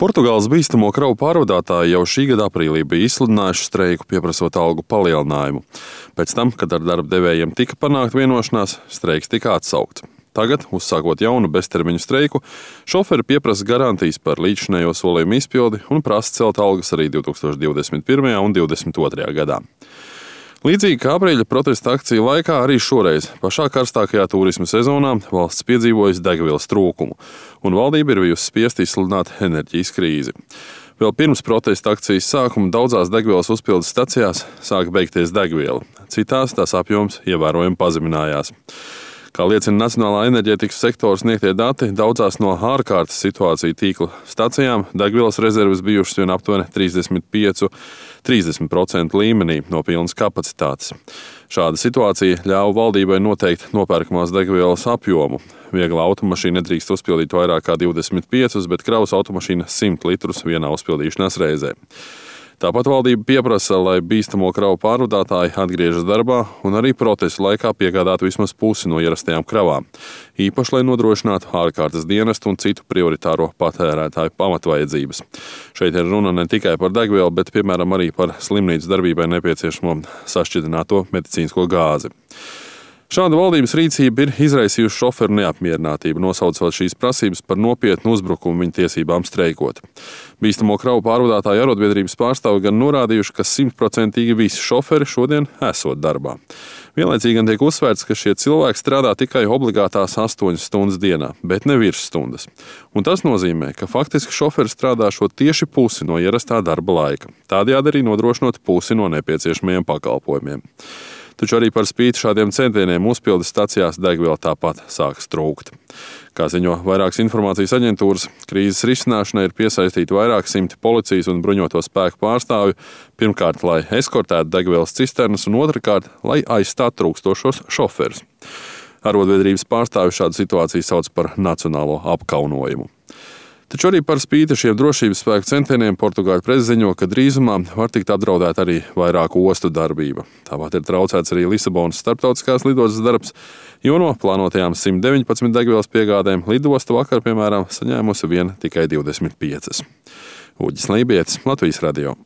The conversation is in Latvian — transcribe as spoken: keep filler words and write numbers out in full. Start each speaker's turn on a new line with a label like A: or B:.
A: Portugāles bīstamo kravu pārvadātāji jau šī gada aprīlī bija izsludinājuši streiku, pieprasot algu palielinājumu. Pēc tam, kad ar darba devējiem tika panākta vienošanās, streiks tika atsaukts. Tagad, uzsākot jaunu beztermiņu streiku, šoferi pieprasa garantijas par līdzšinējo solījumu izpildi un prasa celt algas arī divi tūkstoši divdesmit pirmajā un divdesmit otrajā gadā. Līdzīgi kā aprīļa protesta akciju laikā, arī šoreiz pašā karstākajā turisma sezonā valsts piedzīvojusi degvielas trūkumu, un valdība ir bijusi spiesta izsludināt enerģijas krīzi. Vēl pirms protesta akcijas sākuma daudzās degvielas uzpildes stacijās sāka beigties degviela, citās tās apjoms ievērojami pazeminājās. Kā liecina Nacionālā enerģētikas sektora sniegtie dati, daudzās no ārkārtas situāciju tīkla stacijām degvielas rezerves bijušas vien aptuveni trīsdesmit pieci līdz trīsdesmit procenti līmenī no pilnas kapacitātes. Šāda situācija ļāva valdībai noteikt nopērkamās degvielas apjomu. Viegla automašīna nedrīkst uzpildīt vairāk kā divdesmit piecus, bet kravas automašīna simt litrus vienā uzpildīšanās reizē. Tāpat valdība pieprasa, lai bīstamo kravu pārvadātāji atgriežas darbā un arī protestu laikā piegādātu vismaz pusi no ierastajām kravām, īpaši, lai nodrošinātu ārkārtas dienestu un citu prioritāro patērētāju pamatvajadzības. Šeit ir runa ne tikai par degvielu, bet, piemēram, arī par slimnīcas darbībai nepieciešamo sašķidrināto medicīnisko gāzi. Šāda valdības rīcība ir izraisījusi šoferu neapmierinātību, nosaucot šīs prasības par nopietnu uzbrukumu viņu tiesībām streikot. Bīstamo kravu pārvadātāju arotbiedrības pārstāvi gan norādījuši, ka simtprocentīgi visi šoferi šodien esot darbā. Vienlaicīgi gan tiek uzsvērts, ka šie cilvēki strādā tikai obligātās astoņas stundas dienā, bet ne virsstundas. Un tas nozīmē, ka faktiski šoferi strādāšot tieši pusi no ierastā darba laika, tādējādi arī nodrošinot pusi no nepieciešamajiem pakalpojumiem. Taču arī par spīti šādiem centieniem uzpildes stacijās degviela tāpat sākas trūkt. Kā ziņo vairākas informācijas aģentūras, krīzes risināšanai ir piesaistīti vairāk simti policijas un bruņoto spēku pārstāvju, pirmkārt, lai eskortētu degvielas cisternas, un otrkārt, lai aizstātu trūkstošos šoferus. Arotbiedrības pārstāvju šādu situāciju sauc par nacionālo apkaunojumu. Taču arī par spīti šiem drošības spēku centieniem Portugāļu prese ziņo, ka drīzumā var tikt apdraudēta arī vairāku ostu darbība. Tāpat ir traucēts arī Lisabonas starptautiskās lidostas darbs, jo no plānotajām simt deviņpadsmit degvielas piegādēm lidosta vakar, piemēram, saņēmusi vien tikai divdesmit piecas. Uģis Lībietis, Latvijas radio.